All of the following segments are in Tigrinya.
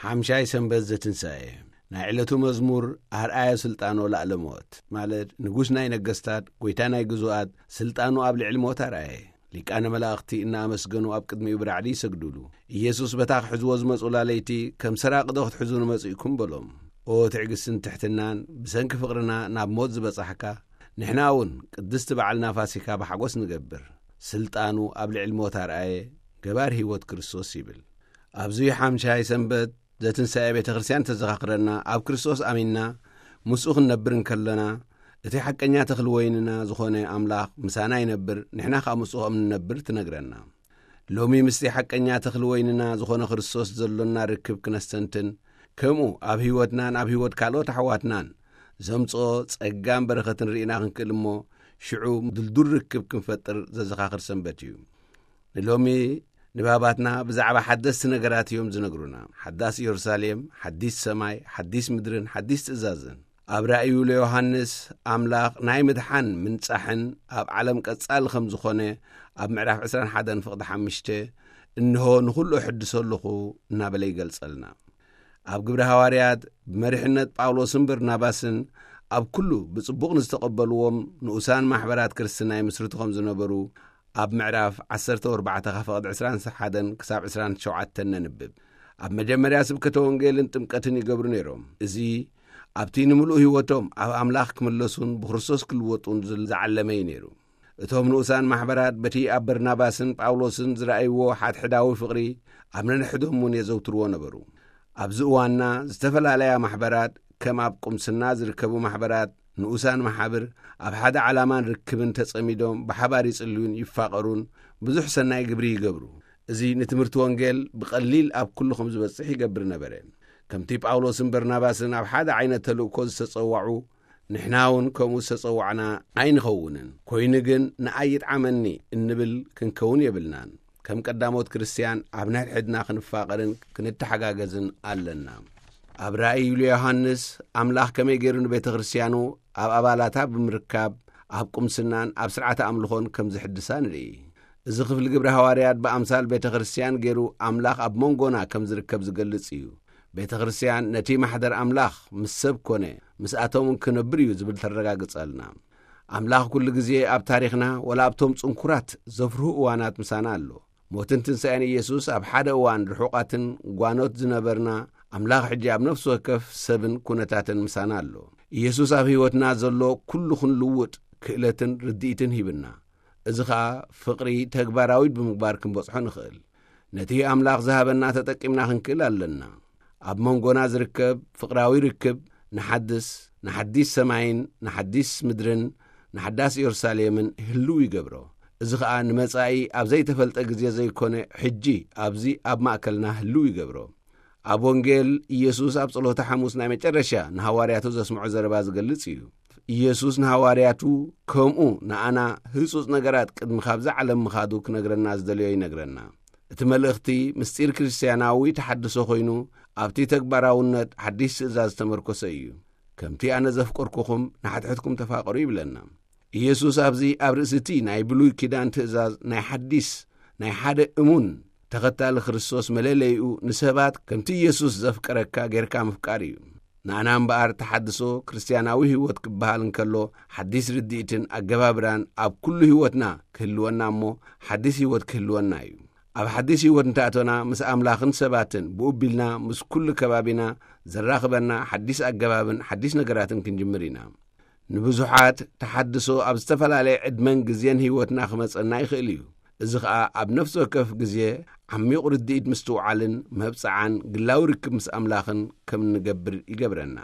ሓምሻይ ሰንበት ዘትንሳኤ። ናይ ዕለቱ መዝሙር ኣርኣየ ስልጣኖ ላዕለ ሞት፣ ማለት ንጉስ ናይ ነገስታት፣ ጎይታ ናይ ግዙኣት፣ ስልጣኑ ኣብ ልዕሊ ሞት ኣርኣየ። ሊቃነ መላእኽቲ እናኣመስገኑ ኣብ ቅድሚኡ ብራዕዲ ይሰግዱሉ። ኢየሱስ በታ ክሕዝዎ ዝመጹላ ለይቲ፣ ከም ሰራቂ ዶ ክትሕዙ ንመጺእኩም በሎም። ኦ ትዕግስትን ትሕትናን፣ ብሰንኪ ፍቕርና ናብ ሞት ዝበጻሕካ፣ ንሕና እውን ቅድስቲ በዓልና ፋሲካ ብሓጎስ ንገብር። ስልጣኑ ኣብ ልዕሊ ሞት ኣርኣየ፣ ገባር ህይወት ክርስቶስ ይብል። ኣብዚ ሓምሻይ ሰንበት ዘትንሳኤ ቤተ ክርስቲያን ተዘኻኽረና፣ ኣብ ክርስቶስ ኣሚንና ምስኡ ክንነብር እንከለና፣ እቲ ሓቀኛ ተኽሊ ወይንና ዝኾነ ኣምላኽ ምሳና ይነብር፣ ንሕና ኸኣ ምስኡ ከም ንነብር ትነግረና። ሎሚ ምስቲ ሓቀኛ ተኽሊ ወይንና ዝኾነ ክርስቶስ ዘሎና ርክብ ክነስተንትን፣ ከምኡ ኣብ ህይወትናን ኣብ ህይወት ካልኦት ኣሕዋትናን ዘምጽኦ ጸጋን በረኸትን ርኢና ክንክእል እሞ፣ ሽዑ ድልዱል ርክብ ክንፈጥር ዘዘኻኽር ሰንበት እዩ። ንሎሚ ንባባትና ብዛዕባ ሓደስቲ ነገራት እዮም ዝነግሩና። ሓዳስ ኢየሩሳሌም፣ ሓዲስ ሰማይ፣ ሓዲስ ምድርን ሓዲስ ትእዛዝን። ኣብ ራእዩ ለዮሃንስ ኣምላኽ ናይ ምድሓን ምንጻሕን ኣብ ዓለም ቀጻሊ ከም ዝኾነ ኣብ ምዕራፍ ዕስራን ሓደን ፍቕዲ ሓሙሽተ፣ "እንሆ ንኹሉ እሕድሶ ኣለኹ" እናበለ ይገልጸልና። ኣብ ግብሪ ሃዋርያት ብመሪሕነት ጳውሎስን በርናባስን ኣብ ኩሉ ብጽቡቕ ንዝተቐበልዎም ንኡሳን ማሕበራት ክርስትና ይምስርቱ ከም ዝነበሩ ኣብ ምዕራፍ ዓሰርተ ኣርባዕተ ካብ ፍቕዲ ዕስራን ሓደን ክሳብ ዕስራን ሸውዓተን ነንብብ። ኣብ መጀመርያ ስብከተ ወንጌልን ጥምቀትን ይገብሩ ነይሮም። እዚ ኣብቲ ንምሉእ ህይወቶም ኣብ ኣምላኽ ክምለሱን ብክርስቶስ ክልወጡን ዝል-፣ ዝዓለመ እዩ ነይሩ። እቶም ንኡሳን ማሕበራት በቲ ኣብ በርናባስን ጳውሎስን ዝረኣይዎ ሓድሕዳዊ ፍቕሪ ኣብ ነንሕዶም እውን የዘውትርዎ ነበሩ። ኣብዚ እዋንና ዝተፈላለያ ማሕበራት፣ ከም ኣብ ቁምስና ዝርከቡ ማሕበራት፣ ንኡሳን መሓብር፣ ኣብ ሓደ ዓላማን ርክብን ተጸሚዶም ብሓባር ይጽልዩን ይፋቐሩን ብዙሕ ሰናይ ግብሪ ይገብሩ። እዚ ንትምህርቲ ወንጌል ብቐሊል ኣብ ኩሉ ከም ዝበጽሕ ይገብር ነበረ። ከምቲ ጳውሎስን በርናባስን ኣብ ሓደ ዓይነት ተልእኮ ዝተጸዋዑ፣ ንሕና እውን ከምኡ ዝተጸዋዕና ኣይንኸውንን። ኮይኑ ግን ንኣይ ይጥዓመኒ እንብል ክንከውን የብልናን። ከም ቀዳሞት ክርስትያን ኣብ ነሕድሕድና ክንፋቐርን ክንተሓጋገዝን ኣለና። ኣብ ራእይ ዮሃንስ ኣምላኽ ከመይ ገይሩ ንቤተ ክርስትያኑ ኣብ ኣባላታ ብምርካብ ኣብ ቁምስናን ኣብ ስርዓተ ኣምልኾን ከም ዝሕድሳ ንርኢ። እዚ ክፍሊ ግብሪ ሃዋርያት ብኣምሳል ቤተ ክርስትያን ገይሩ ኣምላኽ ኣብ መንጎና ከም ዝርከብ ዝገልጽ እዩ። ቤተ ክርስትያን ነቲ ማሕደር ኣምላኽ ምስ ሰብ ኮነ፣ ምስኣቶም እውን ክነብር እዩ ዝብል ተረጋግጸልና። ኣምላኽ ኩሉ ግዜ ኣብ ታሪኽና፣ ወላ ኣብቶም ጽንኩራት ዘፍርሁ እዋናት ምሳና ኣሎ። ሞትን ትንሳኤን ኢየሱስ ኣብ ሓደ እዋን ርሑቓትን ጓኖት ዝነበርና፣ ኣምላኽ ሕጂ ኣብ ነፍሲ ወከፍ ሰብን ኩነታትን ምሳና ኣሎ። ኢየሱስ ኣብ ህይወትና ዘሎ ኩሉ ክንልውጥ ክእለትን ርድኢትን ሂብና። እዚ ኸኣ ፍቕሪ ተግባራዊ ብምግባር ክንበጽሖ ንኽእል። ነቲ ኣምላኽ ዝሃበና ተጠቂምና ክንክእል ኣለና። ኣብ መንጎና ዝርከብ ፍቕራዊ ርክብ ንሓድስ፣ ንሓዲስ ሰማይን ንሓዲስ ምድርን ንሓዳስ ኢየሩሳሌምን ህልው ይገብሮ። እዚ ኸኣ ንመጻኢ ኣብ ዘይተፈልጠ ግዜ ዘይኮነ፣ ሕጂ ኣብዚ ኣብ ማእከልና ህልው ይገብሮ። ኣብ ወንጌል፣ ኢየሱስ ኣብ ጸሎተ ሓሙስ ናይ መጨረሻ ንሃዋርያቱ ዘስምዖ ዘረባ ዝገልጽ እዩ። ኢየሱስ ንሃዋርያቱ፣ ከምኡ ንኣና ህጹጽ ነገራት ቅድሚ ካብዚ ዓለም ምኻዱ ክነግረና ዝደለዮ ይነግረና። እቲ መልእኽቲ ምስጢር ክርስትያናዊ ተሓድሶ ኮይኑ፣ ኣብቲ ተግባራውነት ሓዲስ ትእዛዝ ዝተመርኮሰ እዩ። "ከምቲ ኣነ ዘፍቀርኩኹም፣ ንሓድሕድኩም ተፋቐሩ" ይብለና። ኢየሱስ ኣብዚ ኣብ ርእሲ እቲ ናይ ብሉይ ኪዳን ትእዛዝ ናይ ሓዲስ፣ ናይ ሓደ እሙን ተኸታሊ ክርስቶስ መለለይኡ ንሰባት ከምቲ ኢየሱስ ዘፍቀረካ ጌርካ ምፍቃር እዩ። ንኣና እምበኣር ተሓድሶ ክርስትያናዊ ህይወት ክበሃል እንከሎ፣ ሓዲስ ርድኢትን ኣገባብራን ኣብ ኩሉ ህይወትና ክህልወና እሞ፣ ሓዲስ ህይወት ክህልወና እዩ። ኣብ ሓዲስ ህይወት እንተኣቶና፣ ምስ ኣምላኽን ሰባትን፣ ብኡ ቢልና ምስ ኩሉ ከባቢና ዘራኽበና ሓዲስ ኣገባብን ሓዲስ ነገራትን ክንጅምር ኢና። ንብዙሓት ተሓድሶ ኣብ ዝተፈላለየ ዕድመን ግዜን ህይወትና ክመጸና ይኽእል እዩ። እዚ ኸኣ ኣብ ነፍሲ ወከፍ ግዜ ዓሚቕ ርድኢት ምስትውዓልን መብጽዓን ግላዊ ርክብ ምስ ኣምላኽን ከም እንገብር ይገብረና።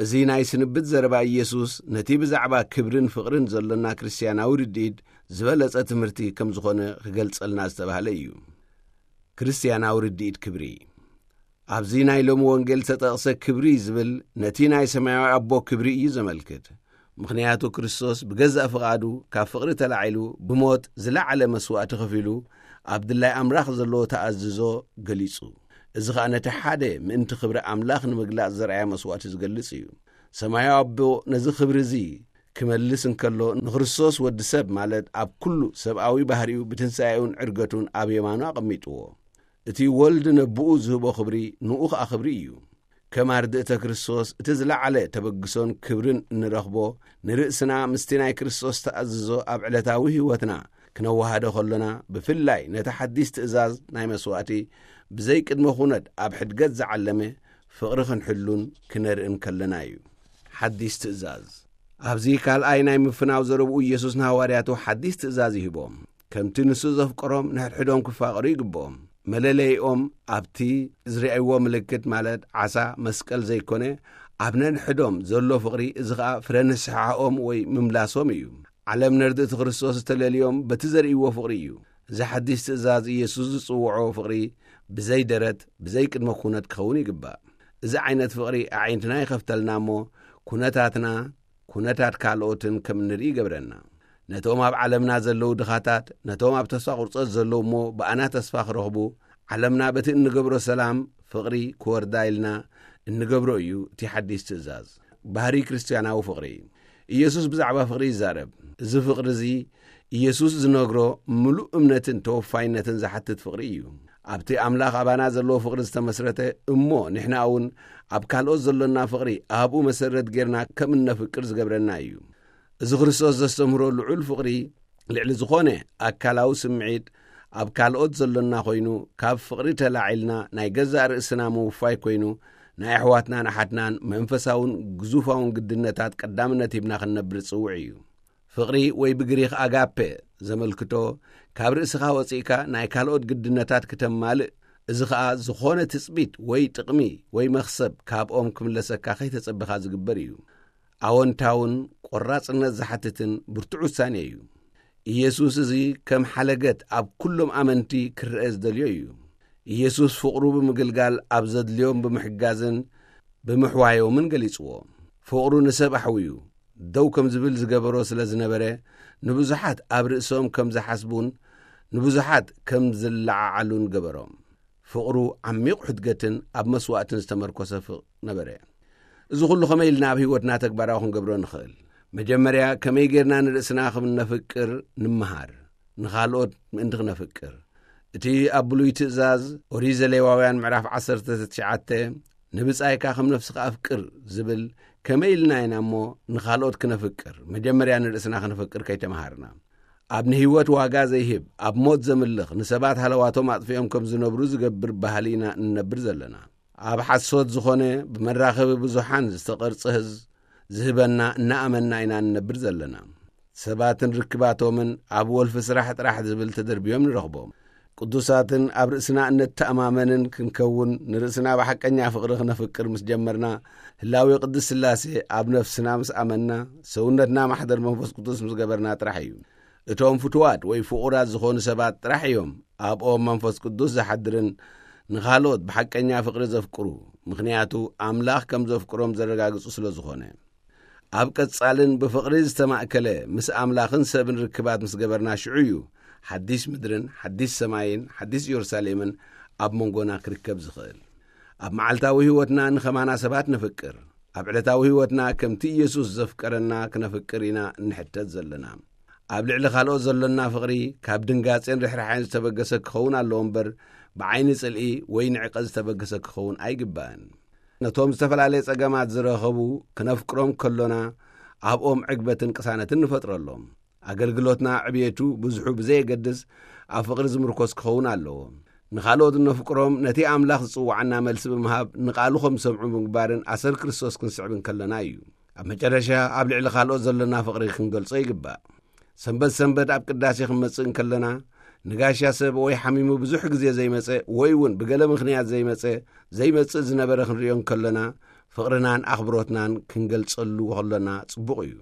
እዚ ናይ ስንብት ዘረባ ኢየሱስ ነቲ ብዛዕባ ክብርን ፍቕርን ዘሎና ክርስትያናዊ ርድኢት ዝበለጸ ትምህርቲ ከም ዝኾነ ክገልጸልና ዝተባህለ እዩ። ክርስትያናዊ ርድኢት ክብሪ። ኣብዚ ናይ ሎሚ ወንጌል ዝተጠቕሰ ክብሪ ዝብል ነቲ ናይ ሰማያዊ ኣቦ ክብሪ እዩ ዘመልክት። ምኽንያቱ ክርስቶስ ብገዛእ ፍቓዱ ካብ ፍቕሪ ተላዒሉ ብሞት ዝለዓለ መስዋእቲ ከፊሉ ኣብ ድላይ ኣምላኽ ዘለዎ ተኣዝዞ ገሊጹ። እዚ ኸኣ ነቲ ሓደ ምእንቲ ክብሪ ኣምላኽ ንምግላጽ ዘርኣየ መስዋእቲ ዝገልጽ እዩ። ሰማያዊ ኣቦ ነዚ ክብሪ እዚ ክመልስ እንከሎ ንክርስቶስ ወዲ ሰብ ማለት ኣብ ኩሉ ሰብኣዊ ባህሪኡ ብትንሳኤኡን ዕርገቱን ኣብ የማኑ ኣቐሚጥዎ። እቲ ወልድ ነብኡ ዝህቦ ክብሪ ንኡ ኸኣ ክብሪ እዩ። ከም ኣርድእተ ክርስቶስ እቲ ዝለዓለ ተበግሶን ክብርን እንረኽቦ፣ ንርእስና ምስቲ ናይ ክርስቶስ ተኣዝዞ ኣብ ዕለታዊ ህይወትና ክነወሃዶ ከሎና፣ ብፍላይ ነቲ ሓዲስ ትእዛዝ ናይ መስዋእቲ ብዘይ ቅድመ ኩነት ኣብ ሕድገት ዝዓለመ ፍቕሪ ክንሕሉን ክነርእን ከለና እዩ። ሓዲስ ትእዛዝ። ኣብዚ ካልኣይ ናይ ምፍናው ዘረብኡ ኢየሱስ ንሃዋርያቱ ሓዲስ ትእዛዝ ይህቦም። ከምቲ ንሱ ዘፍቀሮም ንሕድሕዶም ክፋቐሩ ይግብኦም። መለለይኦም ኣብቲ ዝረኣይዎ ምልክት ማለት ዓሳ መስቀል ዘይኮነ፣ ኣብ ነንሕዶም ዘሎ ፍቕሪ፣ እዚ ኸኣ ፍረ ንስሓኦም ወይ ምምላሶም እዩ። ዓለም ነርድእቲ ክርስቶስ ዝተለልዮም በቲ ዘርእይዎ ፍቕሪ እዩ። እዚ ሓዲስ ትእዛዝ ኢየሱስ ዝጽውዖ ፍቕሪ ብዘይ ደረት፣ ብዘይ ቅድመ ኩነት ክኸውን ይግባእ። እዚ ዓይነት ፍቕሪ ኣዒንትና ይኸፍተልና እሞ፣ ኩነታትና፣ ኩነታት ካልኦትን ከም እንርኢ ይገብረና። ነቶም ኣብ ዓለምና ዘለዉ ድኻታት፣ ነቶም ኣብ ተስፋ ቁርጸት ዘለዉ እሞ ብኣና ተስፋ ክረኽቡ፣ ዓለምና በቲ እንገብሮ ሰላም፣ ፍቕሪ ክወርዳ ኢልና እንገብሮ እዩ እቲ ሓዲስ ትእዛዝ። ባህሪ ክርስትያናዊ ፍቕሪ። ኢየሱስ ብዛዕባ ፍቕሪ ይዛረብ። እዚ ፍቕሪ እዚ ኢየሱስ ዝነግሮ ምሉእ እምነትን ተወፋይነትን ዝሓትት ፍቕሪ እዩ። ኣብቲ ኣምላኽ ኣባና ዘለዎ ፍቕሪ ዝተመስረተ እሞ ንሕና እውን ኣብ ካልኦት ዘሎና ፍቕሪ ኣብኡ መሰረት ጌርና ከም እነፍቅር ዝገብረና እዩ። እዚ ክርስቶስ ዘስተምህሮ ልዑል ፍቕሪ ልዕሊ ዝኾነ ኣካላዊ ስምዒት ኣብ ካልኦት ዘሎና ኮይኑ፣ ካብ ፍቕሪ ተላዒልና ናይ ገዛእ ርእስና ምውፋይ ኮይኑ፣ ናይ ኣሕዋትናን ኣሓትናን መንፈሳውን ግዙፋውን ግድነታት ቀዳምነት ሂብና ክንነብር ዝጽውዕ እዩ። ፍቕሪ ወይ ብግሪኽ ኣጋፔ ዘመልክቶ፣ ካብ ርእስኻ ወጺእካ ናይ ካልኦት ግድነታት ክተማልእ፣ እዚ ኸኣ ዝኾነ ትጽቢት ወይ ጥቕሚ ወይ መኽሰብ ካብኦም ክምለሰካ ከይተጸበኻ ዝግበር እዩ። ኣወንታውን ቆራጽነት ዝሓትትን ብርቱዕ ውሳኔ እዩ። ኢየሱስ እዚ ከም ሓለገት ኣብ ኩሎም ኣመንቲ ክረአ ዝደልዮ እዩ። ኢየሱስ ፍቕሩ ብምግልጋል ኣብ ዘድልዮም ብምሕጋዝን ብምሕዋዮምን ገሊጽዎ። ፍቕሩ ንሰብ ኣሕውዩ ደው ከም ዝብል ዝገበሮ ስለ ዝነበረ፣ ንብዙሓት ኣብ ርእሶም ከም ዝሓስቡን ንብዙሓት ከም ዝለዓዓሉን ገበሮም። ፍቕሩ ዓሚቕ ሕድገትን ኣብ መስዋእትን ዝተመርኮሰ ፍቕ ነበረ። እዚ ኹሉ ኸመይ ኢልና ኣብ ህይወትና ተግባራዊ ክንገብሮ ንኽእል? መጀመርያ ከመይ ጌርና ንርእስና ከም እነፍቅር ንምሃር፣ ንኻልኦት ምእንቲ ክነፍቅር። እቲ ኣብ ብሉይ ትእዛዝ ኦሪት ዘሌዋውያን ምዕራፍ ዓሰርተ ትሽዓተ፣ "ንብጻይካ ከም ነፍስኻ ኣፍቅር" ዝብል፣ ከመይ ኢልና ኢና እሞ ንኻልኦት ክነፍቅር፣ መጀመርያ ንርእስና ክነፍቅር ከይተመሃርና? ኣብ ንህይወት ዋጋ ዘይህብ፣ ኣብ ሞት ዘምልኽ፣ ንሰባት ሃለዋቶም ኣጥፊኦም ከም ዝነብሩ ዝገብር ባህሊ ኢና እንነብር ዘለና። ኣብ ሓሶት ዝኾነ ብመራኸቢ ብዙሓን ዝተቐርጸ ህዝ-፣ ዝህበና እናኣመንና ኢና እንነብር ዘለና። ሰባትን ርክባቶምን ኣብ ወልፊ ስራሕ ጥራሕ ዝብል ተደርብዮም ንረኽቦም። ቅዱሳትን ኣብ ርእስና እነተኣማመንን ክንከውን፣ ንርእስና ብሓቀኛ ፍቕሪ ክነፍቅር ምስ ጀመርና፣ ህላዌ ቅድስት ስላሴ ኣብ ነፍስና ምስ ኣመንና፣ ሰውነትና ማሕደር መንፈስ ቅዱስ ምስ ገበርና ጥራሕ እዩ። እቶም ፍቱዋት ወይ ፍቑራት ዝኾኑ ሰባት ጥራሕ እዮም ኣብኦም መንፈስ ቅዱስ ዝሓድርን ንኻልኦት ብሓቀኛ ፍቕሪ ዘፍቅሩ፣ ምኽንያቱ ኣምላኽ ከም ዘፍቅሮም ዘረጋግጹ ስለ ዝኾነ። ኣብ ቀጻልን ብፍቕሪ ዝተማእከለ ምስ ኣምላኽን ሰብን ርክባት ምስ ገበርና፣ ሽዑ እዩ ሓዲስ ምድርን ሓዲስ ሰማይን ሓዲስ ኢየሩሳሌምን ኣብ መንጎና ክርከብ ዝኽእል። ኣብ መዓልታዊ ህይወትና ንኸማና ሰባት ነፍቅር። ኣብ ዕለታዊ ህይወትና ከምቲ ኢየሱስ ዘፍቀረና ክነፍቅር ኢና እንሕተት ዘለና። ኣብ ልዕሊ ካልኦት ዘሎና ፍቕሪ ካብ ድንጋጼን ርሕራሕን ዝተበገሰ ክኸውን ኣለዎ እምበር፣ ብዓይኒ ጽልኢ ወይ ንዕቀት ዝተበገሰ ክኸውን ኣይግባእን። ነቶም ዝተፈላለየ ጸገማት ዝረኸቡ ክነፍቅሮም ከሎና፣ ኣብኦም ዕግበትን ቅሳነትን ንፈጥረሎም። ኣገልግሎትና ዕብየቱ ብዝሑ ብዘየገድስ ኣብ ፍቕሪ ዝምርኮስ ክኸውን ኣለዎ። ንኻልኦት እነፍቅሮም ነቲ ኣምላኽ ዝጽውዓና መልሲ ብምሃብ፣ ንቓሉ ከም ዝሰምዑ ብምግባርን ኣሰር ክርስቶስ ክንስዕብ እንከለና እዩ። ኣብ መጨረሻ ኣብ ልዕሊ ካልኦት ዘሎና ፍቕሪ ክንገልጾ ይግባእ። ሰንበት ሰንበት ኣብ ቅዳሴ ክንመጽእ እንከለና፣ ንጋሻ ሰብ ወይ ሓሚሙ ብዙሕ ግዜ ዘይመጸ ወይ እውን ብገለ ምኽንያት ዘይመጸ፣ ዘይመጽእ ዝነበረ ክንርእዮ እንከለና፣ ፍቕርናን ኣኽብሮትናን ክንገልጸሉ ከሎና ጽቡቕ እዩ።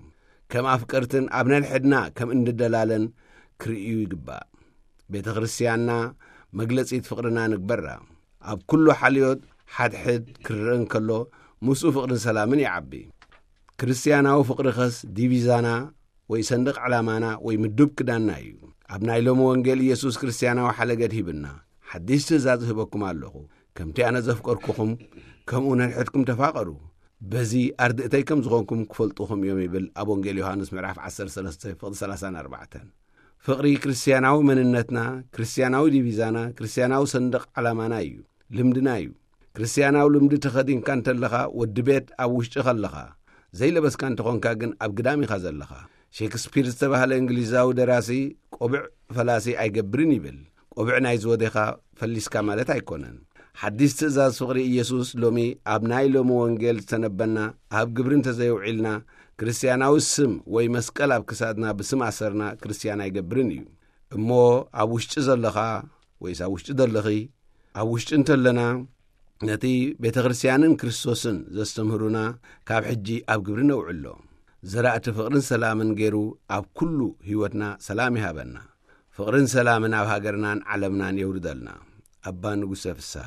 ከም ኣፍቀርትን ኣብ ነንሕድና ከም እንደላለን ክርእዩ ይግባእ። ቤተ ክርስቲያንና መግለጺት ፍቕርና ንግበራ። ኣብ ኩሉ ሓልዮት ሓድሕድ ክረአ እንከሎ፣ ምስኡ ፍቕርን ሰላምን ይዓቢ። ክርስትያናዊ ፍቕሪ ኸስ ዲቪዛና ወይ ሰንደቕ ዕላማና ወይ ምዱብ ክዳንና እዩ። ኣብ ናይ ሎሚ ወንጌል ኢየሱስ ክርስትያናዊ ሓለገት ሂብና፣ "ሓዲስ ትእዛዝ እህበኩም ኣለኹ፣ ከምቲ ኣነ ዘፍቀርኩኹም፣ ከምኡ ነንሕድኩም ተፋቐሩ። በዚ ኣርድእተይ ከም ዝኾንኩም ክፈልጡኹም እዮም" ይብል ኣብ ወንጌል ዮሃንስ ምዕራፍ ዓሰርተ ሰለስተ ፍቕዲ ሰላሳን ኣርባዕተን። ፍቕሪ ክርስትያናዊ መንነትና፣ ክርስትያናዊ ዲቪዛና፣ ክርስትያናዊ ሰንደቕ ዓላማና እዩ፣ ልምድና እዩ። ክርስትያናዊ ልምዲ ተኸዲንካ እንተለኻ፣ ወዲ ቤት ኣብ ውሽጢ ከለኻ፣ ዘይለበስካ እንተኾንካ ግን ኣብ ግዳም ኢኻ ዘለኻ። ሼክስፒር ዝተባህለ እንግሊዛዊ ደራሲ፣ ቆብዕ ፈላሲ ኣይገብርን ይብል። ቆብዕ ናይ ዝወዴኻ ፈሊስካ ማለት ኣይኮነን። ሓዲስ ትእዛዝ ፍቕሪ ኢየሱስ ሎሚ ኣብ ናይ ሎሚ ወንጌል ዝተነበና ኣብ ግብሪ እንተዘየውዒልና፣ ክርስትያናዊ ስም ወይ መስቀል ኣብ ክሳድና ብስም ኣሰርና ክርስትያን ኣይገብርን እዩ። እሞ ኣብ ውሽጢ ዘለኻ ወይስ ኣብ ውሽጢ ዘለኺ፣ ኣብ ውሽጢ እንተለና፣ ነቲ ቤተ ክርስትያንን ክርስቶስን ዘስተምህሩና ካብ ሕጂ ኣብ ግብሪ ነውዕሎ። ዘራእቲ ፍቕርን ሰላምን ገይሩ ኣብ ኩሉ ህይወትና ሰላም ይሃበና። ፍቕርን ሰላምን ኣብ ሃገርናን ዓለምናን የውርደልና። ኣባ ንጉሰ ፍስሃ።